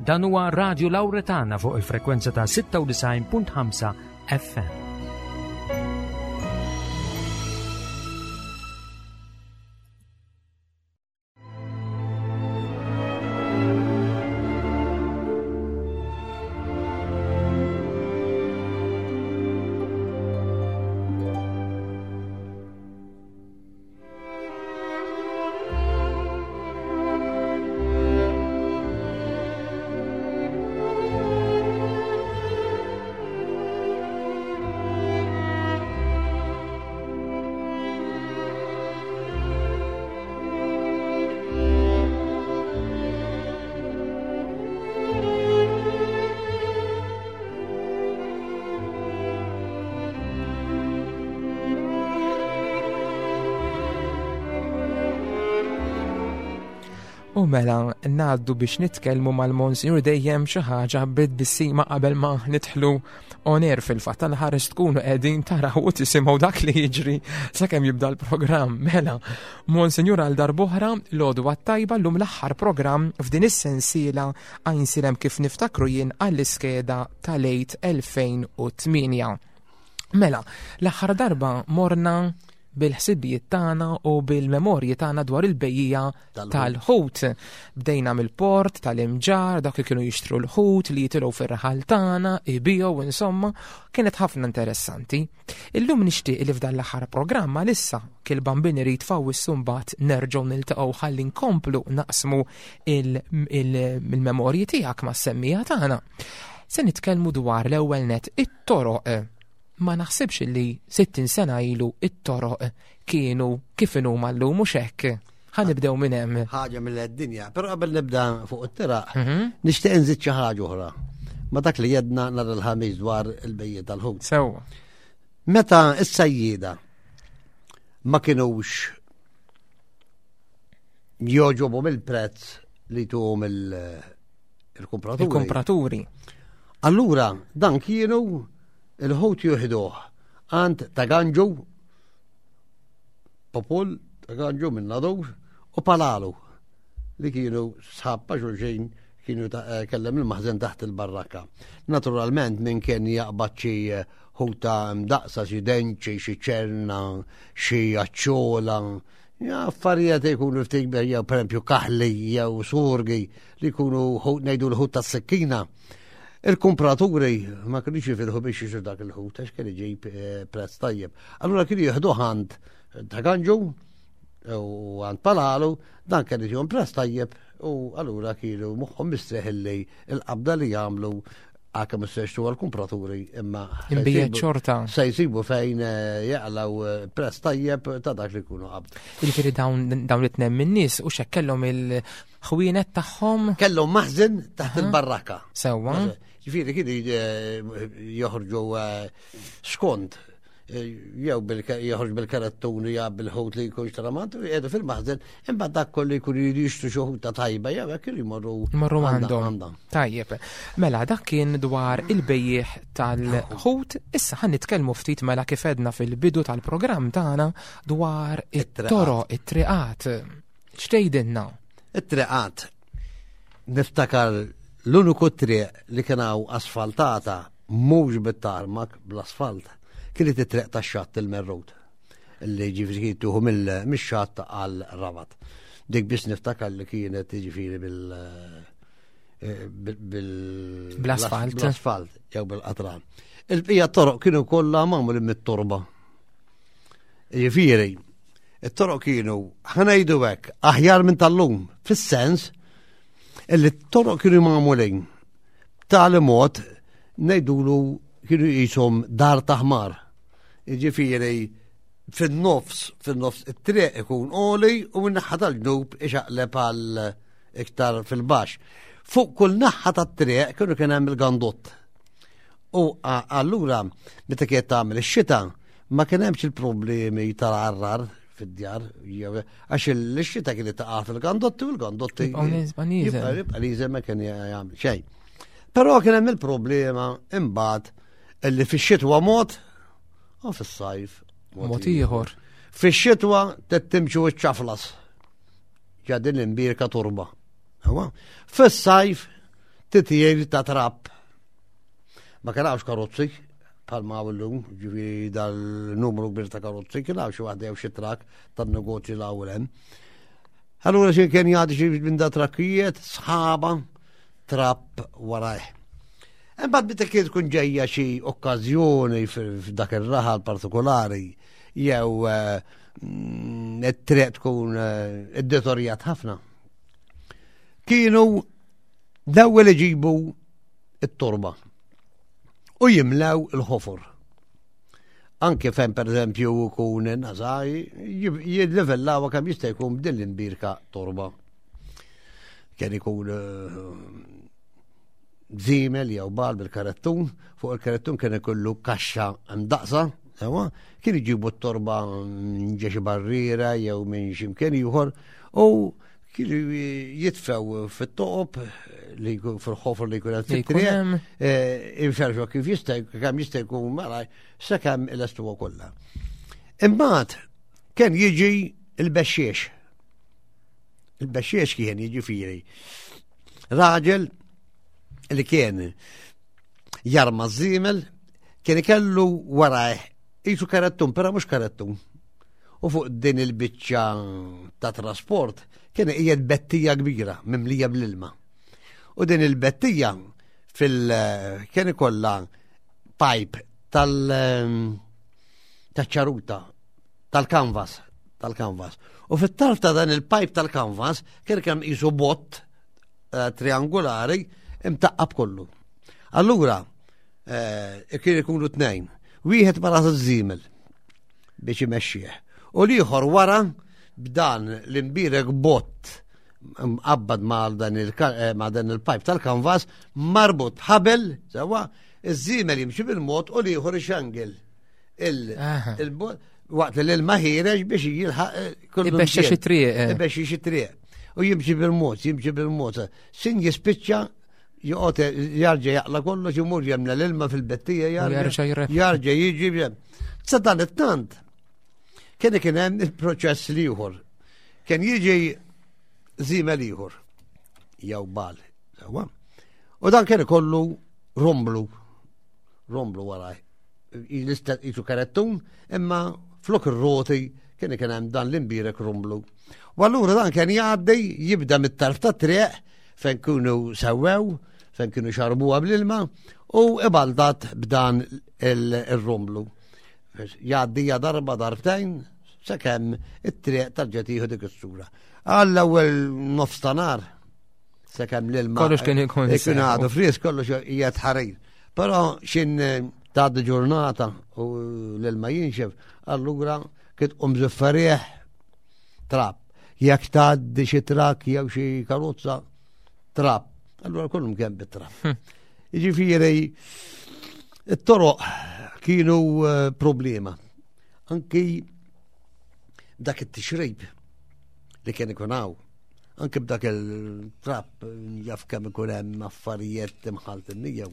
Dan huwa Radio Lauretana fuq il-frekwenza ta' 96.5 FM. U mela ngħaddu biex nitkellmu mal-Monsignor dejjem xi ħaġa bid-bissima qabel ma nidħlu on air fil-fatt tal-ħares tkunu qegħdin taraw u tisimgħu dak li jiġri sakemm jibda l-programm. Mela, Monsignor għal darb'oħra l-għodwa tajba llum l-aħħar programm f'din is-sensiela għajnsilem kif niftakru jien għall-iskeda tal-għid 2008. Mela, l-aħħar darba morna bil-ħsibijiet tagħna u bil-memorji tagħna dwar il-bejjija tal-ħut. Bdejna mill-port, tal-imġar, dak li kienu jixtru l-ħut li jitilgħu fir-raħal tagħna, ibijow insomma, kienet ħafna interessanti. Illum nixtieq li f'dan l-aħħar programma lissa kil bambini irid fawissu mbagħad nerġgħu niltaqgħu ħalli nkomplu naqsmu il-memorji tiegħek mas-semmija tagħna. Se nitkellmu dwar l-ewwel net it-toroq ma naħsibx li 60 sena ilu it-toroq kienu kif inhuma llum mhux hekk. Ħa nibdew minn hemm. Ħaġa mill-dinja, però qabel nibda fuq it-tiraq, mhm. nixtieq nżid xi ħaġa oħra. Ma dak li jedna nhar il-ħamis dwar il-bejjiet tal-ħut. Sewwa. Meta s-sajjieda ma kinux joġobhom il-prezz li tuhom il-kumpraturi. Il-kumpraturi. Allura dan kienu Il-ħut juħduh għand ta' Ganġu, Popol ta' Ganġu minn Nadur u Palalu li kienu sħab pa' xulxin kienu eh, kellem il-maħżen taħt il-barrakka. Naturalment minn kien jaqbad xi eh, ħuta mdaqsa, xi denċi, xi ċerna, xi aċċola, affarijiet jkunu ftit jew pereżempju kaħli jew surgi li jkunu ngħidu l-ħut tas-sikkina. Il-kumpraturi ma kienux jifirħu biex jixtru dak il-ħut għax kien iġib eh, prezz tajjeb. Allura kienu jieħdu għand ta' Ganġu u għand Palalu, dan kien iġihom prezz tajjeb u allura kienu moħħhom mistrieħ illi il-qabda li jagħmlu għakem s-sextu għal-kumpraturi imma. Imbijet xorta. Se jisibu fejn eh, jaqlaw eh, prezz tajjeb ta' dak li jkunu qabdu. Jiġifieri dawn it-tnem min-nies u xekkellhom il- ħwienet tagħhom. Kellhom maħżen taħt il-barrakka. Sewwa. Ġifieri kienu eh, joħorġu eh, skont eh, jew joħorġ bil-karattuni jew bil-ħut li jkun xtramant u jgħidu fil-maħżen, imbagħad dak kollu jkunu jixtru xi ħuta tajba jew hekk kienu jmorru Jmorru għandhom. Tajjeb. Mela dak kien dwar il-bejjiegħ tal-ħut, issa ħan nitkellmu ftit mela kif edna fil-bidu tal-programm tagħna dwar it-toroq, it-triqat. X'tgħidilna? It-triqat. Niftakar l-uniku triq li kien hawn asfaltata mhux bit-tarmak bl-asfalt kienet it-triq tax-xatt il-Merrut li ġifieri kienet tuħu mix-xatt għal Rabat. Dik biss niftakar li kienet ġifieri bil eh, bil-asfalt. Bl-asfalt jew bil-qatran. Il-bqija toroq kienu kollha magħmulin mit-torba. Ġifieri, it-toroq kienu, ħanajdu hekk, aħjar minn tal-lum, fis-sens illi t-toroq kienu magħmulin b'tali mod ngħidulu kienu jisom dar taħmar. Jiġifieri fin-nofs, fin-nofs it-triq ikun għoli u min-naħa tal-ġnub ixaqleb għal iktar fil-baxx. Fuq kull naħa tat-triq kienu kien hemm il-gandott. U allura meta kienet tagħmel ix-xita ma kien hemmx il-problemi tal-arrar fid-djar, għax il-xita kienet taqa' fil-gandotti u l-gandotti. Jibqa' niżel ma kien jagħmel xejn. Però kien hemm il-problema imbagħad illi fix-xitwa mod u fis-sajf mod ieħor. Fix-xitwa timxu ċ-ċaflas. Ġa din l-imbirka turba. Fis-sajf titjir ta' trab. Ma kien hawnx karozzi bħalma hawn illum, ġifieri dal-numru kbir ta' karozzi, kien hawn xi waħda jew xi trak tan-negozju l hawn hemm. Allura xi kien jgħaddi xi minn da trakkijiet, sħaba, trab warajh. Imbagħad meta kien tkun ġejja xi okkażjoni f'dak ir-raħal partikolari jew eh, mm, it-triq tkun eh, iddetorjat ħafna. Kienu l-ewwel iġibu it-torba u jimlew il-ħofor. Anke fejn pereżempju jkun nażaj jillivellaw kemm jista' jkun b'din l-imbirka torba. Kien ikun eh, żiemel jew bal bil-karettun, fuq il-karettun kien ikollu kaxxa mdaqsa, sewa, kien iġibu t-torba minn ġexi barriera jew minn ximkien ieħor u kienu jitfew fit-toqob li fil-ħofr li jkun hemm fit-triq, eh, inferxu kif jista' kemm jista' jkun malaj sakemm il-estuwa kollha. Imbagħad kien jiġi il-bexxiex. Il-bexxiex kien jiġifieri raġel li kien jarma żiemel kien ikellu warajh jisu karettun, però mhux karettun. U fuq din il-biċċa ta' trasport kien qiegħed bettija kbira mimlija bl-ilma. U din il-bettija fil kien ikollha pipe tal taċ-ċaruta tal-kanvas tal-kanvas. U fit-tarf ta' dan il-pipe tal-kanvas kien kemm qisu bott eh, triangolari imtaqqab kollu. Allura, eh, kien ikunu tnejn. Wieħed ma ras iż-żiemel biex imexxih. U l-ieħor wara b'dan l-imbirek bott mqabbad ma' dan eh, il-pipe tal-kanvas marbut ħabel, sewa, iż-żiemel jimxi bil-mod u l-ieħor ixangel. Il-bot waqt li l-ilma ħireġ biex jilħaq eh, kullu. Ibexxa xi triq. Eh. Ibexxa xi triq. U jimxi bil-mod, jimxi bil-mod. Sin jispiċċa joqgħod jarġa' jaqla kollox imur jemna l-ilma fil-bettija jarġa' jarġa' jiġi. Sa dan it-tant kien kien hemm il-proċess l-ieħor. Kien jiġi żiemel ieħor jew bal. U dan kien ikollu romblu, romblu waraj. L-istess jisu karettun, imma flok ir-roti kien kien hemm dan l-imbirek rumblu. U allura dan kien jgħaddi jibda mit-tarf tat-triq fejn kienu sewwew, fejn kienu xarbuha bl-ilma u ibaldat b'dan il-rumblu. Jgħaddi darba darbtejn sakemm it-triq tarġa' tieħu dik is-sura. Għall-ewwel nofs ta' nar sakemm l-ilma. Kollox kien ikun. Ikun għadu fris, kollox qiegħed ħarir. Però xin eh, tgħaddi ġurnata u l-ilma jinxef, allura kien tqum żifferieħ trab. Jekk tgħaddi xi trak jew xi karozza, trab. Allura kollhom kemm bit-trab. Hm. Jiġifieri it-toroq kienu eh, problema. Anki dak it-tixrib li kien ikun hawn Anke b'dak il-trap jaf kemm ikun hemm affarijiet imħaltin miegħu.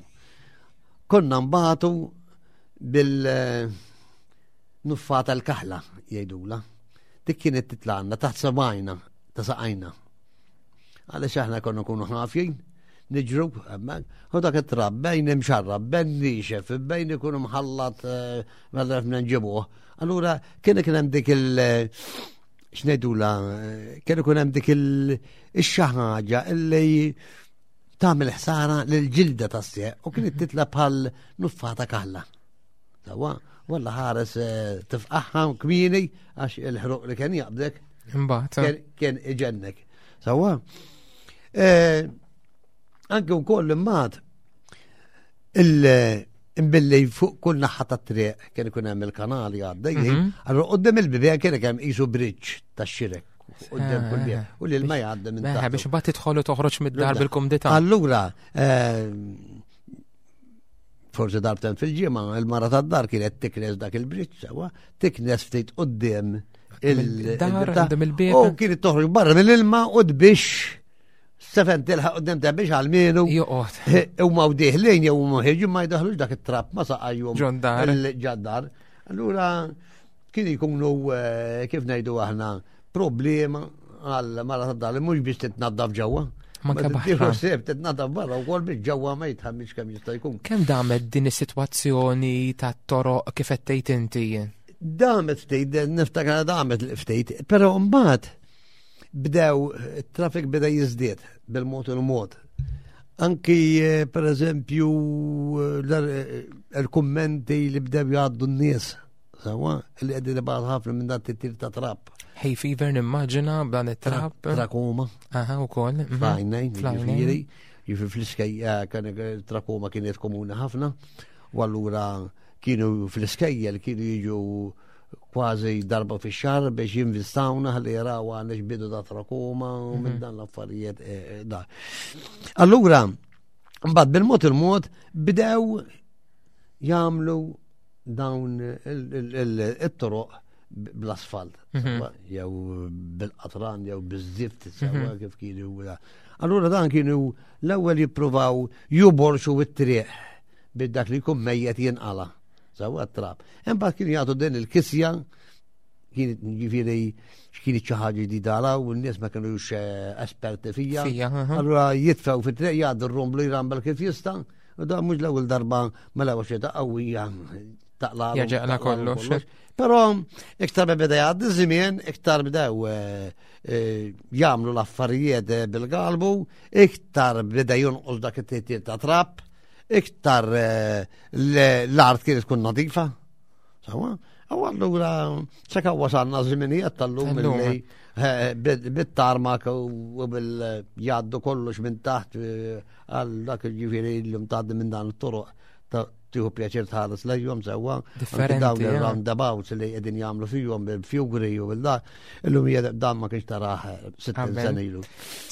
Konna nbatu bil nuffata l-kaħla jgħidula. Dik kienet titlaqna taħt sabajna, ta' saqajna. Għaliex aħna konna nkunu ħafjin, niġru, hemmhekk, u dak it-trab bejn imxarrab, bejn nixef, bejn ikun mħallat eh, mela nġibuh. Allura kien kien hemm dik il- x'ngħidula kien ikun hemm dik il-xi ħaġa illi tagħmel ħsara lil ġilda tas-sieq u kienet mhm. titla bħal nuffata kaħla. Sawa, walla ħares eh, tifqaħħa kmieni għax il-ħruq li kien jaqbdek. Imbagħad. Eh. Kien iġennek. Sawa. Eh, anke wkoll imbagħad il-imbilli fuq kull naħa ta' triq kien ikun hemm il-kanali għaddejjin, mhm. allura qudiem il-bibien kien hemm qisu bridge tax-xirek qudiem kull bibien u l-ilma jgħaddi minn taħt. Biex imbagħad tidħol u toħroġ mid-dar bil-kumdità. Allura, eh, forsi darbten fil-ġimgħa, il-mara tad-dar kienet tiknes dak il-bridge sewa, tiknes ftit qudiem il-dar, il-bieb. U kienet toħroġ barra mill-ilma u tbix Sefen tilħaq qudiem ta' biex għal-mienu. Joqgħod. Huma u diħlin jew huma ħirġin ma jdaħlux dak it-trap ma saqajhom. Ġondar. Ġaddar. Allura kien jkunu eh, kif ngħidu aħna problema għal mara tad-dar li mhux biex titnaddaf ġewwa. Manka baħra. Seb titnadaf barra wkoll biex ġewwa ma jitħammix kemm jista' jkun. Kemm damet din is-sitwazzjoni tat-toroq kif qed tgħid inti? Damet ftit, niftakar damet ftit, però mbagħad bdew it-traffic beda jiżdied bil-mod il-mod. Anki eh, per eżempju eh, eh, il-kummenti li bdew jgħaddu n-nies, sawa, li qegħdin ibgħat ħafna minn dan tittir ta' trap. Hay fever nimmaġina b'dan it-trap. Trakoma. Aha, ukoll. Mhm. Flajnejn, jiġifieri, jiġifieri fl-iskejja kien trakoma kienet komuni ħafna, u allura kienu fl-iskejjel kienu jiġu kważi darba fi xar biex jinvistawna ħalli jaraw għandek bidu ta' trakoma u minn mhm. dan l-affarijiet eh, eh, da. Allura, mbagħad bil-mod il-mod bdew jagħmlu dawn it-toroq bl-asfalt, mhm. jew bil-qatran, jew biż-zift, mhm. kif kienu. Allura dan kienu l-ewwel jippruvaw juborxu it-triq bid dak li jkun mejjet jinqala. Sawa trab. Imbagħad kienu jagħtu din il-kisja kien ġifieri x'kien xi ħaġa ġdida għala u n-nies ma kinux eh, esperti fija. Allura jitfgħu fit-triq jgħaddu r-rumblu jrambel kif jista' u da mhux l-ewwel darba mela għax ta' qawwija taqla. Jaġaqla kollox. Però iktar ma beda jgħaddi żmien, iktar bdew eh, eh, jagħmlu l-affarijiet bil-galbu, iktar beda jonqos dak it-titjir ta' trap iktar eh, l-art kienet tkun nadifa. Sawa? U allura seka wasalna żminijiet tal-lum li eh, bit-tarmak u bil-jaddu kollox minn taħt eh, għal dak il-ġifieri l-lum tgħaddi minn dan it-toroq tieħu pjaċir tħares lejhom sewwa. Differenti. Dawn il-roundabouts li qegħdin jagħmlu fihom bil-fjugri u bil-da, illum dan ma kienx taraħ 60 sena ilu.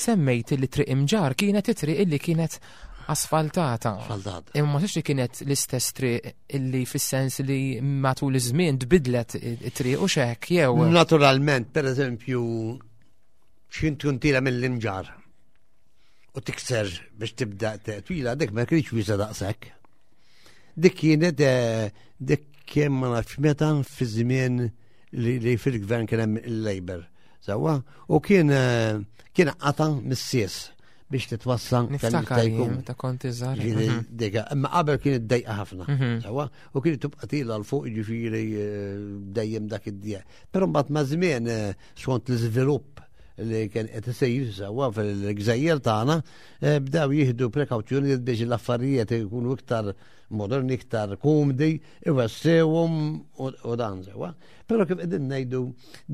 Semmejt li triq imġar kienet it-triq illi kienet asfaltata. Asfaltata. Imma ma li kienet l-istess triq illi fis-sens li matul iż-żmien tbidlet it-triq u xek jew. Naturalment, per eżempju, x'int tkun tira mill-imġar u tikser biex tibda twila dik ma kienx wiesa daqshekk. Dik kienet eh, dik kien ma nafx meta fi żmien li fil-gvern kien hemm il-Labor. Sewwa, u kien eh, kien qata mis-sies biex titwassa Niftakar jkun ta' kont iżgħar. Mhm. Dejqa, imma qabel kienet dejqa ħafna. Mhm. Sewwa, u kienet tibqa' tila l fuq ġifieri eh, dejjem dak id-dieq. Però mbagħad ma' żmien eh, skont l-iżvilupp li kien qed isir sewwa fil-gżejjer tagħna, eh, bdew jieħdu prekawzjonijiet biex l-affarijiet ikunu iktar moderni, iktar komdi, iwessewhom u dan sewwa. Però kif qegħdin ngħidu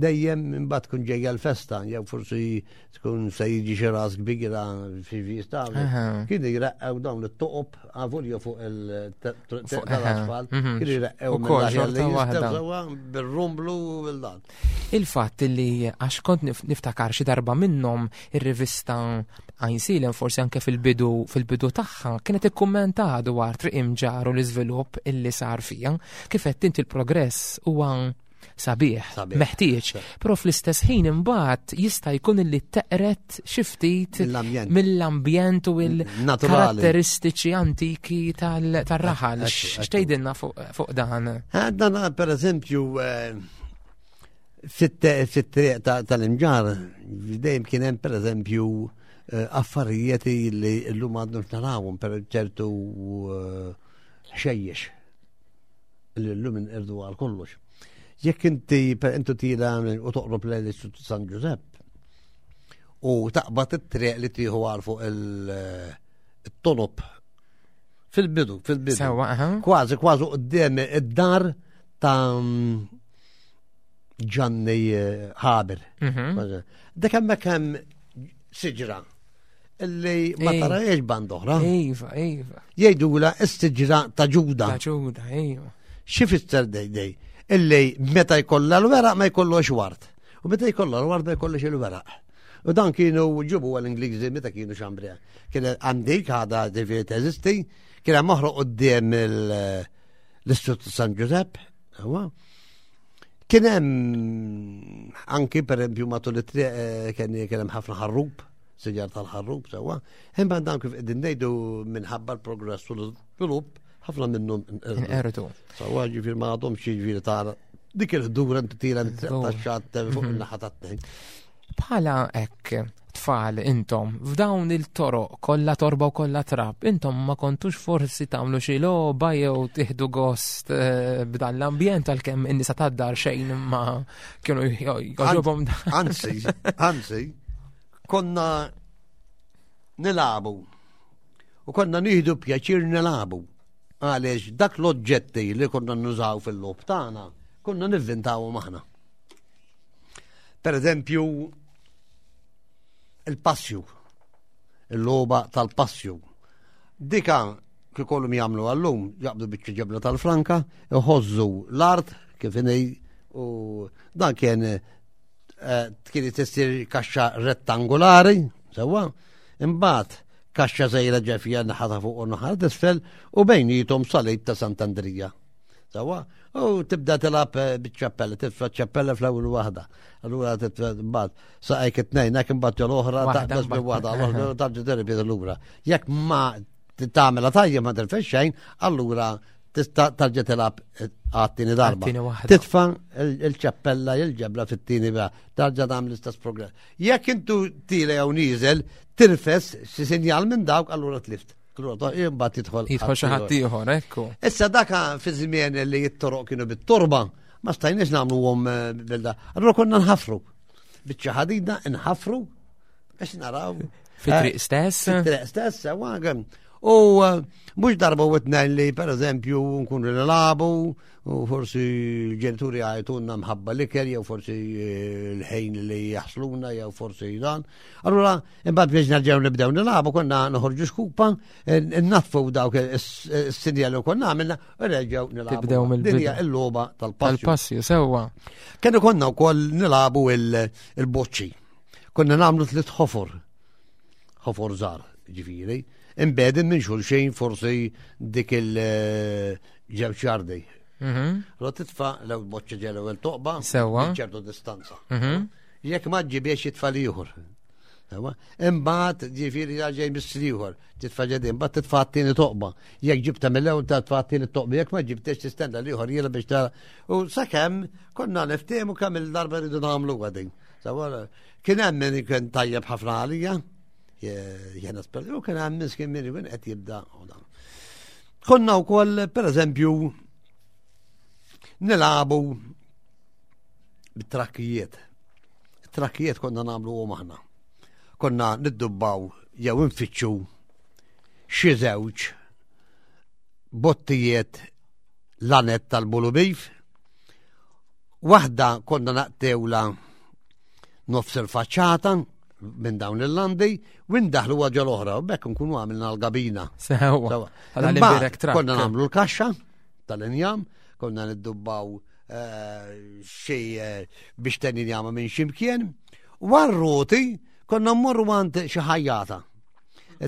dejjem imbagħad tkun ġejja l-festa jew forsi tkun se jiġi xi ras kbira fi vista. Kienu jreqqew dawn it-toqob għavolja fuq il-asfalt, mhm. kienu jreqqew mill bil-rumblu u bil-dan. Il-fatt li għax kont niftakar xi darba minnhom ir-rivista Għajnsielen forsi anke fil-bidu fil-bidu tagħha kienet ikkummenta dwar triq imġar u l-iżvilupp illi sar fija. Kif qed inti l-progress huwa sabiħ, meħtieġ, però fl-istess ħin imbagħad jista' jkun illi teqret xi ftit mill-ambjent u l-karatteristiċi antiki tal-raħal. X'tgħidilna fuq dan? Eh, dan per eżempju eh, fit-triq tal-imġar dejjem kien hemm per eżempju eh, affarijiet li llum għadnu narawhom per ċertu ħxejjex li llum inqirdu għal kollox. Jekk inti per intu tira u toqrob lejn l-Istitut San Ġużepp u taqbad it-triq li tieħu għal fuq il-tonob fil-bidu, fil-bidu. Sewa, aha. Kważi, kważi qudiem id-dar ta' Ġanni eh, Haber. Mhm. Dak hemmhekk hemm siġra illi ma tarajiex band oħra. Iva, iva. Jgħidula s-siġra ta' Ġuda. Ta' Ġuda, iva. Xi fisser dej Illi meta jkollha l-weraq ma jkollux wart. U meta jkollha l-wart ma jkollux il-weraq. U dan kienu ġibu għal-Ingliżi meta kienu xambrija. Kien għandik għada ġifieri teżisti, kien hemm oħra quddiem l-Istitut San Ġużepp, Kien hemm anki pereżempju matul it-triq eh, kien hemm ħafna ħarrub, siġar tal-ħarrub sewwa. Imma dan kif qegħdin ngħidu minħabba l-progress u l-iżvilupp ħafna minnhom inqerdu. Sewwa ġifier ma għadhomx jiġifieri tara dik il-ħdura inti tira taxxat fuq mhm. in-naħa tat-tnejn. Bħala hekk, tfal intom f'dawn il-toroq kollha torba u kollha trab, intom ma kontux forsi tagħmlu xi logħba jew tieħdu gost eh, b'dan l-ambjent għalkemm in-nisa tad-dar xejn ma kienu jogħġobhom. Anzi, anzi, konna nilagħbu u konna nieħdu pjaċir nilagħbu għaliex dak l-oġġetti li konna nużaw fil-logħob tagħna konna nivvintawhom aħna. Per eżempju, il-passju, il-logħba tal-passju. Dika kif kollhom jagħmlu għallum, jaqbdu biċċa ġebla tal-franka, iħożżu l-art kif inhi u dan kien eh, kien tissir kaxxa rettangolari, sewwa, imbagħad kaxxa żgħira ġefija naħa ta' fuq u naħa t'isfel u bejnietom salib ta' Sant'Andrija. Sawa, u tibda tilab eh, biċ-ċappella, titfa' ċappella fl-ewwel waħda. Allura titfa' mbagħad saqajk it-tnejn, hekk imbagħad l-oħra taqbeż bi waħda, l-oħra tarġa' terbi lura. Jekk ma tagħmilha tajjeb ma tirfex xejn, allura tista' tarġa' tilab eh, għat-tieni darba. Titfa' il-ċappella il-ġebla fit-tieni tarġa' tagħmel l-istess progress. Jekk intu tila jew nieżel, tirfes xi sinjal minn dawk allura tlift. Imbagħad jidħol. Jidħol xi ħadd ieħor, ekku. Issa daka fi żmien li t-toroq kienu bit-torba, ma stajniex nagħmluhom eh, bil-da. Allura konna nħafru. Biċċa ħadida nħafru biex naraw. Fit-triq eh, stess? Fit-triq stess, sewa. U eh, mhux darba u tnejn li pereżempju nkunu nilagħbu u forsi l-ġenituri għajtunna mħabba l-ikel jew forsi l-ħin li jaħsluna jew forsi dan. Allura Imbagħad biex nerġgħu nibdew nilagħbu konna noħorġu xkupa, natfu dawk is-sinjal li konna għamilna u nerġgħu nilagħbu. Tibdew mill-bidu. Dinja l-logħba tal-passju. Tal-passju, sewwa. Kienu konna wkoll nilagħbu il-boċċi. Konna nagħmlu tliet ħofor. Ħofor żgħar, ġifieri. Imbedin minn xulxin forsi dik il-ġewġ jardi. Mhm. Lo titfa' l boċċa ġelu il-toqba. Sewwa. ċertu distanza. Mhm. Jekk ma ġibiex jitfa' ieħor. Imbagħad ġifieri ġej miss ieħor, titfa' ġedin, imbagħad titfa' t-tieni toqba. Jekk ġibta mill-ewwel titfa' t-tieni toqba, jekk ma ġibtex tistenna l-ieħor jiela biex tara. U sakemm konna niftehmu kemm il-darba rridu nagħmlu din. Kien hemm min kien tajjeb ħafna għalija, jena espert, u kien hemm miskin min kien qed jibda. Konna wkoll, pereżempju, nilagħbu bit-trakkijiet. Trakkijiet konna nagħmlu u aħna. Konna niddubbaw jew infittxu xi żewġ bottijiet lanet tal-bulubif. Waħda konna naqtewla nofs il-faċċata minn dawn il-landi u ndaħlu għagġa l-oħra u bekk nkunu għamilna l-gabina. Sewa. Konna nagħmlu l-kaxxa tal-injam, konna niddubbaw eh, xi eh, biex tenni njama minn ximkien. Warroti konna mmorru għand xi ħajjata.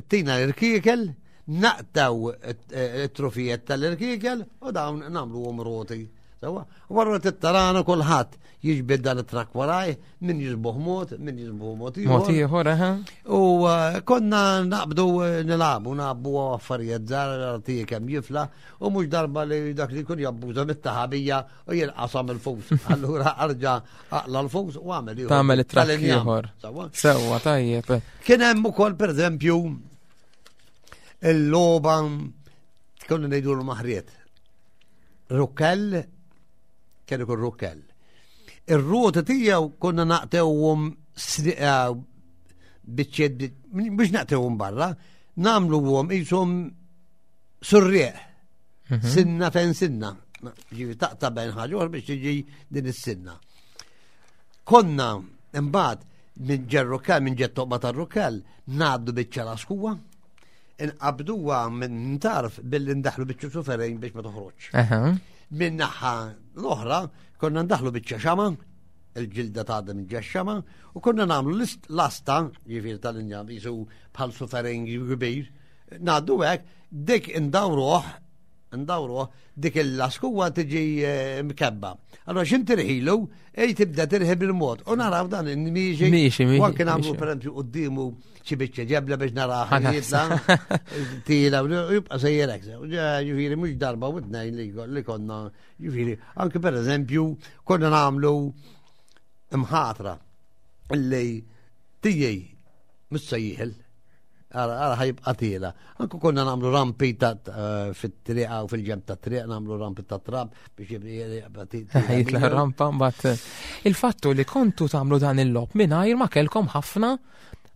Tina l-irkiekel, naqtaw it-trufijiet tal-irkiekel u dawn nagħmluhom roti. Sewa, warra t-tarana kulħadd jiġbed dan it-trak waraj, min jiżbuħ mod, min jiżbuħ mod ieħor. Mod ieħor, aha. U eh, konna naqbdu eh, nilagħbu, nagħbu affarijiet żgħar artiji kemm jifla, u mhux darba li dak li jkun jabbuża mit-taħabija u jinqasam il-fus. Allura arġa aqla l-fus u għamel ieħor. Tagħmel it-trak ieħor. Sewwa tajjeb. Kien hemm ukoll pereżempju il-logħba konna ngħidu l-maħriet. Rukkell, kien ikun rukkell. Ir-rota tiegħu konna naqtewhom eh, biċċiet biex naqtewhom barra, nagħmluhom qishom surrieq. Mhm. Sinna fejn sinna. Ġifi taqta' bejn ħaġa biex tiġi din is-sinna. Konna imbagħad minn ġerrukkell, minn ġed toqba tar-rukkell, ngħaddu biċċa laskuwa, inqabduha minn tarf billi ndaħlu biċċa suferejn biex ma toħroġ. Minn naħa l-oħra konna ndaħlu biċċa xama, il-ġilda ta' minn xama, u konna nagħmlu l-asta, ġifieri tal-injam jisu bħal suferejn kbir, ngħaddu hekk, dik indawruh ndawruh dik il-laskuwa tiġi eh, mkebba. Allora x'in tirħilu, ej tibda tirħi bil-mod. U naraw dan miexi. Miexi, miexi. U anke nagħmlu pereżempju quddiemu xi biċċa ġebla biex naraħ jitla. Tila, u jibqa' sejjerek. Ġifieri mhux darba u tnejn li konna, ġifieri, anke pereżempju konna nagħmlu imħatra li tiġi. Mhux se jieħel. Ara ħajibqa' tiela. Anku konna nagħmlu rampi ta' eh, fit-triqa u fil-ġemp ta' triq nagħmlu rampi ta' trab biex jibqa' tiela. Jitla rampa mbagħad eh, il-fattu li kontu tagħmlu dan il-lob mingħajr ma kellkom ħafna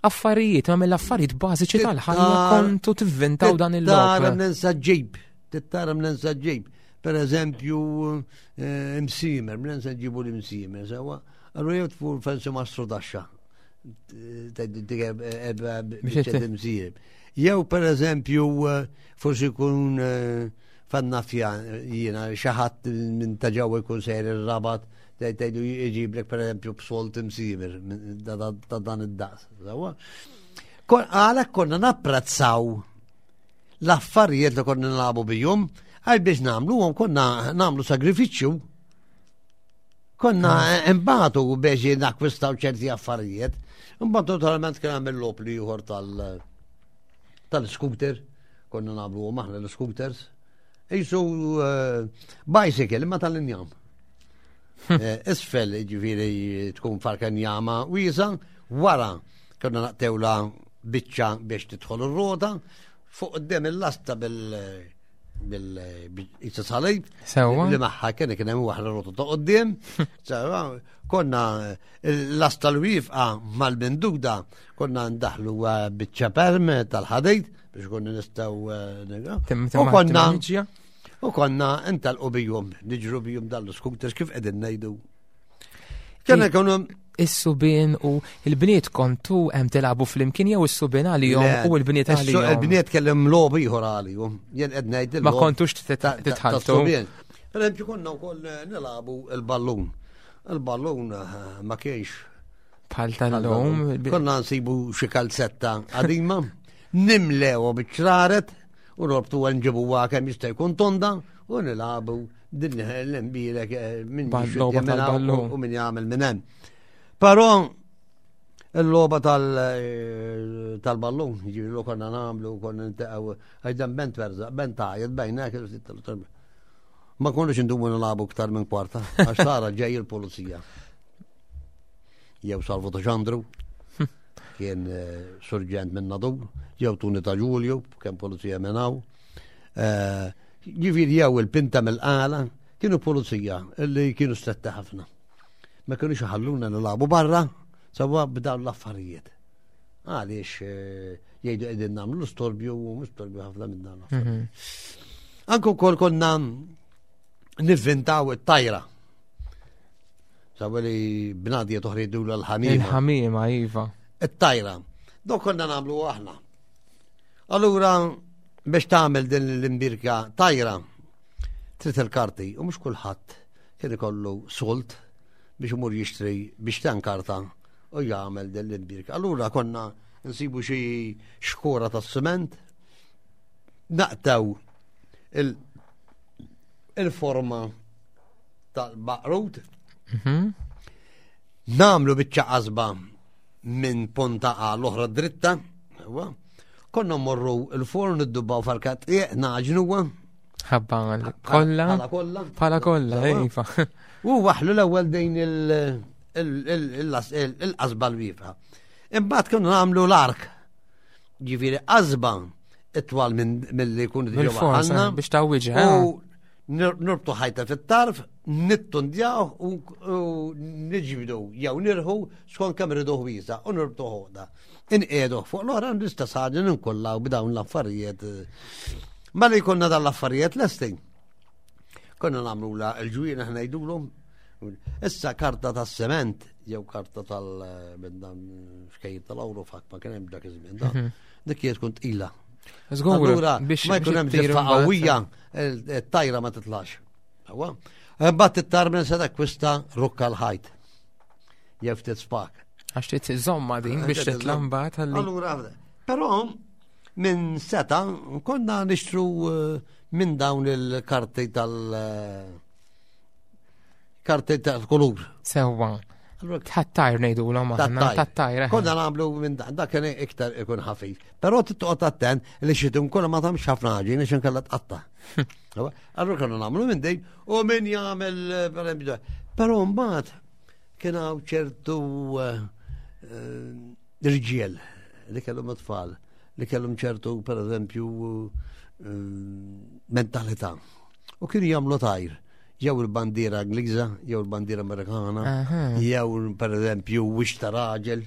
affarijiet, ma mill-affarijiet bażiċi tal-ħajja kontu tivvintaw dan il-lob. Tara minn ġib, tittara minn ġib. Per eżempju, eh, imsimer, minn ġibu l-imsimer, sewa. Allura jew tfur fensi mastru daxxa. Jew per eżempju, eh, forsi jkun eh, fannafja jiena xi ħadd minn ta' ġewwa jkun sejr ir-rabat tgħidu jġiblek per eżempju b'solt imsimir ta' dan id-daqs. Għalhekk konna napprezzaw l-affarijiet li konna nagħbu bihom għal biex nagħmluhom konna nagħmlu sagrifiċċju. Konna ah. imbagħtu biex nakwistaw ċerti affarijiet. Imbagħad totalment kien hemm il-lop li ieħor tal tal-scooter, konna nagħmlu aħna l-scooters. Isu eh, bicycle imma tal-injam. Eh, isfel ġifieri tkun farka njama wiesa, wara konna naqtewla biċċa biex tidħol ir-rota, fuq qudiem il-lasta bil- bil-isa salib. Sewa. Li maħħa kien kien hemm waħda rotu ta' qoddim. Sewa, konna l-asta l-wifqa mal-binduda konna ndaħlu eh, biċċa perm tal-ħadid biex konna nistgħu eh, U konna u konna intalqu bijum, niġru bijum dal-scooters kif qegħdin ngħidu. Kena konu Is-subien u il-bniet kontu hemm tilagħbu flimkien jew is-subien għalihom u l-bniet għalihom. Il-bniet kellhom logħob ieħor għalihom. Jien qed ngħid Ma kontux titħaltu. Per eżempju konna wkoll nilagħbu il-ballun. Il-ballun eh, ma kienx bħal tal-lum. Konna nsibu xi kalzetta qadima, nimlew biċ-ċraret u norbtu nġibuha kemm jista' jkun tonda u nilagħbu din l-imbirek eh, minn u minn jagħmel minn hemm. Però il-logħba eh, tal-ballun, ġifieri konna nagħmlu, konna nintaqgħu, għax bent verza, bent għajed bejna Ma konniex indumu nilagħbu iktar minn kwarta, għax tara ġej il-pulizija. Jew Salvu ta' Ġandru, kien eh, surġent minn Nadur, jew Tuni ta' Ġulju, kien pulizija minn hawn. Ġifieri jew il-pinta mill-qala, kienu pulizija li kienu stretti ħafna. Ma kienux iħalluna nilagħbu barra sawa b'dawn l-affarijiet. Għaliex eh, jgħidu qegħdin nagħmlu l-istorbju u mhux storbju ħafna minn dawn l-affarijiet. Mhm. Anke wkoll konna nivvintaw it-tajra. Sawa li bnadja toħridu l-ħamima. Il-ħamima, iva. It-tajra. Dok konna nagħmlu aħna. Allura biex tagħmel din l-imbirka tajra trid il-karti u mhux kulħadd kien ikollu solt biex imur jixtri biex tan karta u jagħmel din l-imbirka. Allura konna nsibu xi xkora tas-siment naqtaw il-forma tal-baqrut mhm. namlu biċċa qasba minn ponta għal oħra dritta, Konna morru il-forn id-dubba u farkat naġnuwa. Ħabba kolla. Bħala kolla. Bħala kolla, iva. U waħlu l-ewwel dejn il-qasba l-wiefa. Imbagħad kienu nagħmlu l-ark. Ġifieri qasba itwal mill-li jkun diġà għandna. Biex tawwiġha. U Nurbtu ħajta fit-tarf, nittundjaw u niġbdu jew nirħu skont kemm ridu ħwiesa u nurbtu ħoqda. Inqiegħdu fuq l-oħra l-istess ħaġa ninkollaw b'dawn l-affarijiet. Ma li jkollna dan l-affarijiet lesti. Konna nagħmlu la l-ġwien aħna ngħidulhom. Issa karta tas-sement jew karta tal minn dan xkejjer tal-awru fak ma kien hemm dak iż-żmien da. Mhm. Dik hija tkun tqila. Allura biex ma jkun hemm ġiffa qawwija tajra ma titlax. Mbagħad tittar minn se takkwista rukka l-ħajt. Jew ftit spak. Għax trid iżomma din biex titla' mbagħad ħalli. Allura, però minn seta konna nixtru eh, minn dawn il-karti tal- eh, karti tal-kulur. Sewwa. Tat-tajr ngħidu l aħna, tat-tajr. Eh. Konna nagħmlu minn dak kien iktar ikun ħafif. Però titqgħod attent li xi tkun ma tagħmx ħafna ħaġin għax inkella tqatta. Allura konna nagħmlu minn dejn u min jagħmel eh, Però mbagħad kien hawn ċertu eh, irġiel. li kellhom it-tfal li kellhom ċertu pereżempju eh, mentalità. U kienu jagħmlu tajr jew il-bandiera Ingliża, jew il-bandiera Amerikana, jew pereżempju wix ta' raġel,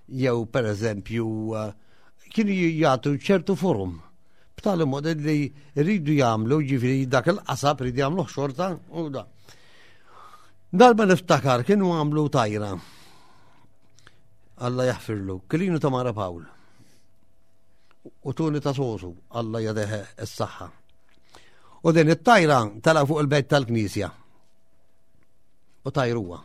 jew pereżempju eh, kienu jagħtu ċertu forum. B'tali mod li rridu jagħmlu ġifieri dak il-qasab rridu jagħmlu xorta u da. Darba niftakar kienu għamlu tajra. Alla jaħfirlu. Kilinu ta' Mara Pawl. U tuni ta' sosu, Alla jadeħe s-saħħa. U din it-tajra tala fuq il-bejt tal-knisja. U tajruha.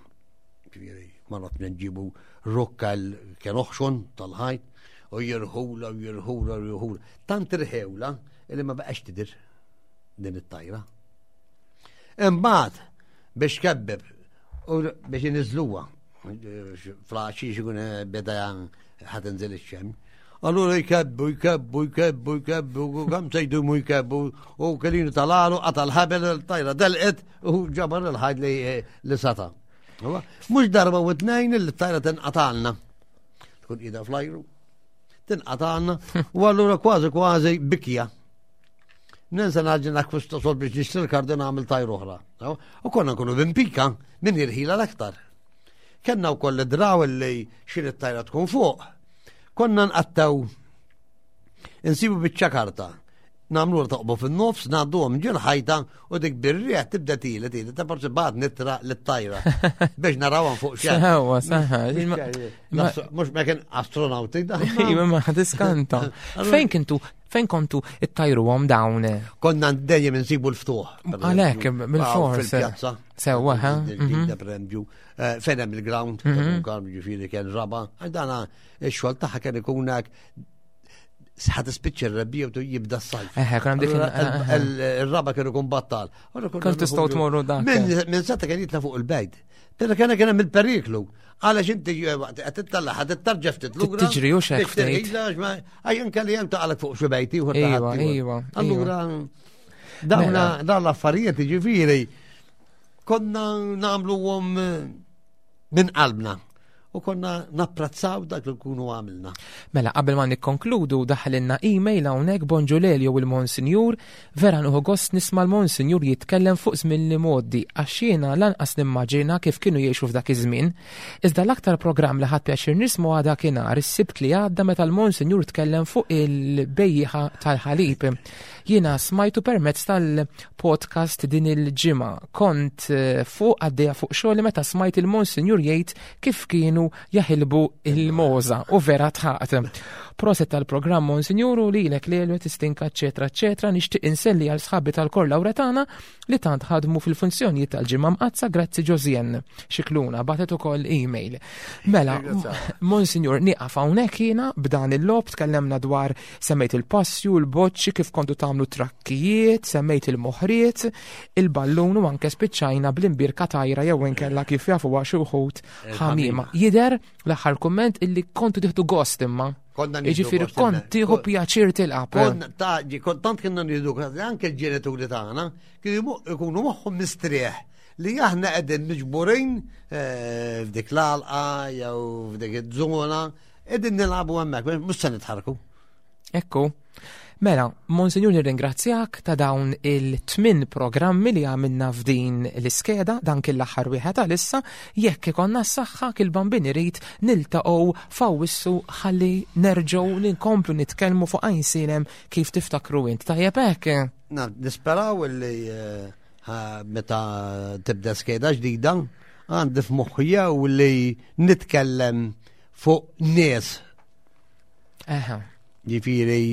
Ġifieri, ma naf nġibu rokka kien oħxon tal-ħajt u jirħula u jirħula u jirħula. Tant irħewla li ma baqax tidir din it-tajra. Imbagħad biex kebbeb u biex iniżluha flaċi xikun eh, beda ħad inżel ix-xem. Allura jkebbu, jkebbu, jkebbu, jkebbu, u kam se jdumu jkebbu, u kelinu tal-għalu, qata l-ħabel, tajra delqet, u ġabar il-ħajd li, eh, li sata. Mux darba u tnejn li tajra tinqatalna. Tkun ida flajru. Tinqatalna, u allura kważi kważi bikja. Ninsa naġi nakkwista sol biex nixtri l-kardi nagħmel tajr oħra. U konna nkunu b'impika minn irħila l-aktar. Kenna wkoll id-draw li xi tajra tkun fuq. Konna nqattaw insibu biċċa karta namlu toqbu fin-nofs, ngħadduhom ġil ħajta u dik birrieħ tibda tili tili ta' forsi bad nitra lit-tajra biex narawhom fuq xi. Sewa, saħħa. Mhux ma kien astronauti da. Iva ma tiskanta. Fejn kintu Fejn kontu ittajruhom dawn? Konna dejjem insibu l-ftuħ. Għalhekk, bil-fors. Fil-pjazza. Sewwa, ha? Mhm. Per eżempju, eh, fejn hemm il-ground, mhm. ġifieri kien raba, dana x-xogħol tagħha kien ikun hekk ħad ispiċċa r-rebbija u jibda s-sajf. Eħe, kien dik il-raba kienu kun battal. Kont tistgħu tmorru dak. Minn seta kien jitla fuq il-bejt. Pero kien kien hemm il-periklu. Għalax inti eh, qed tittalla ħad tittarġa ftit lura. Tiġri u xek ftit. Għaj anke li hemm taqalek fuq xi bejti u Iva, iva. Allura dawna mela. dawn l-affarijiet jiġifieri konna nagħmluhom eh, minn qalbna u konna napprezzaw dak li nkunu għamilna. Mela, qabel ma nikkonkludu daħlinna email hawnhekk bonġu Lelio u l-Monsinjur, vera nieħu gost nisma' l-Monsinjur jitkellem fuq żmien li mgħoddi għax jiena lanqas nimmaġina kif kienu jgħixu f'dak iż-żmien. Iżda l-aktar programm li ħadt pjaċir nisma' huwa dakinhar is-Sibt li għadda meta l-Monsinjur tkellem fuq il-bejjieħa tal-ħalib. Jiena smajtu permezz tal-podcast din il-ġimgħa. Kont eh, fuq għaddejja fuq xogħli meta smajt il-Monsinjur jgħid kif kienu jaħilbu il-moza u vera tħaqt. Proset tal-programm Monsinjur u lilek lelu tistinka eċetera eċetera nixtieq inselli għal sħabi tal-Kor Lawretana li tant ħadmu fil-funzjonijiet tal-ġimgħa mqazza grazzi Josien. Xikluna batet ukoll email. Mela, Monsinjur nieqaf hawnhekk jiena b'dan il-lob tkellemna dwar Semmejt il-passju, il-boċċi, kif kontu tagħmlu trakkijiet, semmejt il-moħriet, il-ballun u anke spiċċajna bl-imbirka tajra jew inkella kif jafu xi wħud ħamima. Jider l-aħħar kumment illi kontu tieħdu gost imma. Jiġifieri kont tieħu pjaċir tilqab. Kont tant kienna nieħdu anke l-ġenituri tagħna kienu jkunu moħħhom mistrieħ li aħna qegħdin miġburin eh, f'dik l-għalqa jew f'dik iż-żona Qegħdin nilagħbu hemmhekk, mhux se nitħarku. Ekku. Mela, Monsinjur nirringrazzjak ta' dawn il-tmin programmi li għamilna f'din l-iskeda, dan kien l-aħħar wieħed għalissa, jekk ikonna s-saħħa kil bambin irid niltaqgħu f'Awwissu ħalli nerġgħu ninkomplu nitkellmu fuq Għajnsielem kif tiftakru int. Tajjeb hekk? Na, nisperaw li eh, meta tibda skeda ġdida għandi f'moħħi jew li nitkellem fuq nies. Eħe. Ġifieri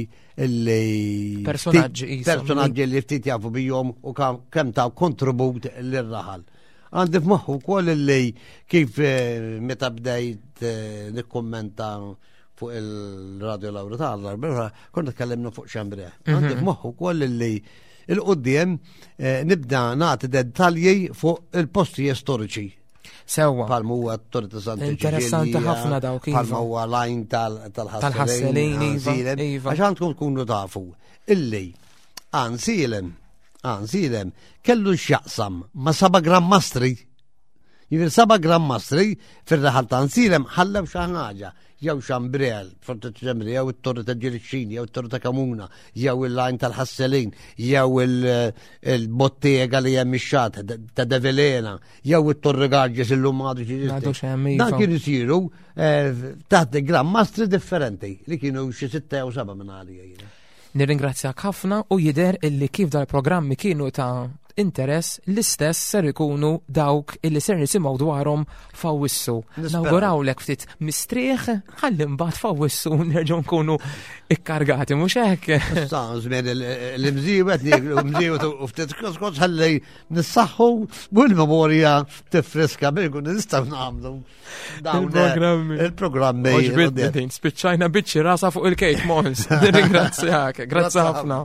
illi personaġġi personaġġi li ftit jafu bijom u kemm ta' kontribut lir-raħal. Għandi f'moħħu wkoll illi kif eh, meta bdejt eh, nikkummenta fuq il-Radio Laura tal konna tkellimna fuq xembre. Mhm. Għandi f'moħħu wkoll illi il-qudiem eh, nibda nagħti dettalji fuq il-postijiet storiċi. Sewwa. Palma huwa t-Torri ta' Santa Interessanti ħafna dawk. Iva. Palma huwa lajn tal-ħasselin. Iva, iva. Għax għandkom tkunu tafu illi għansilem, għansilem, kellu x'jaqsam ma' saba' Gran Mastri. Jiġifieri seba' Gran Mastri fir-raħal ta' Nsilem ħallew xi ħaġa, jew xambrel, Forti Ġemri, jew it-Torri ta' Ġirixxini, jew it-Torri ta' Kamuna, jew il-lajn tal-Ħasselin, jew il-bottega li hemm ix-xat ta' Develena, jew it-Torri Garġes illum għadu xi Dan iva. kienu jsiru eh, taħt Gran Mastri differenti li kienu xi sitta jew seba' minn għalija. Nirringrazzjak ħafna u jidher illi kif dal-programmi kienu ta' interess l-istess ser ikunu dawk illi ser nisimgħu dwarhom f'Awwissu. Nawgurawlek ftit mistrieħ ħalli mbagħad f'Awwissu nerġgħu nkunu ikkargati mhux hekk. Issa żmien l-imżiewet nieklu mżiewet u ftit koskos ħalli nissaħħu u l-memorja tifriska biex nkunu nistgħu nagħmlu. Il-programmi. Il-programmi. Oġbitni din, spiċċajna biċċi rasa fuq il-kejk, Mons. Ringrazzjak, grazzi ħafna.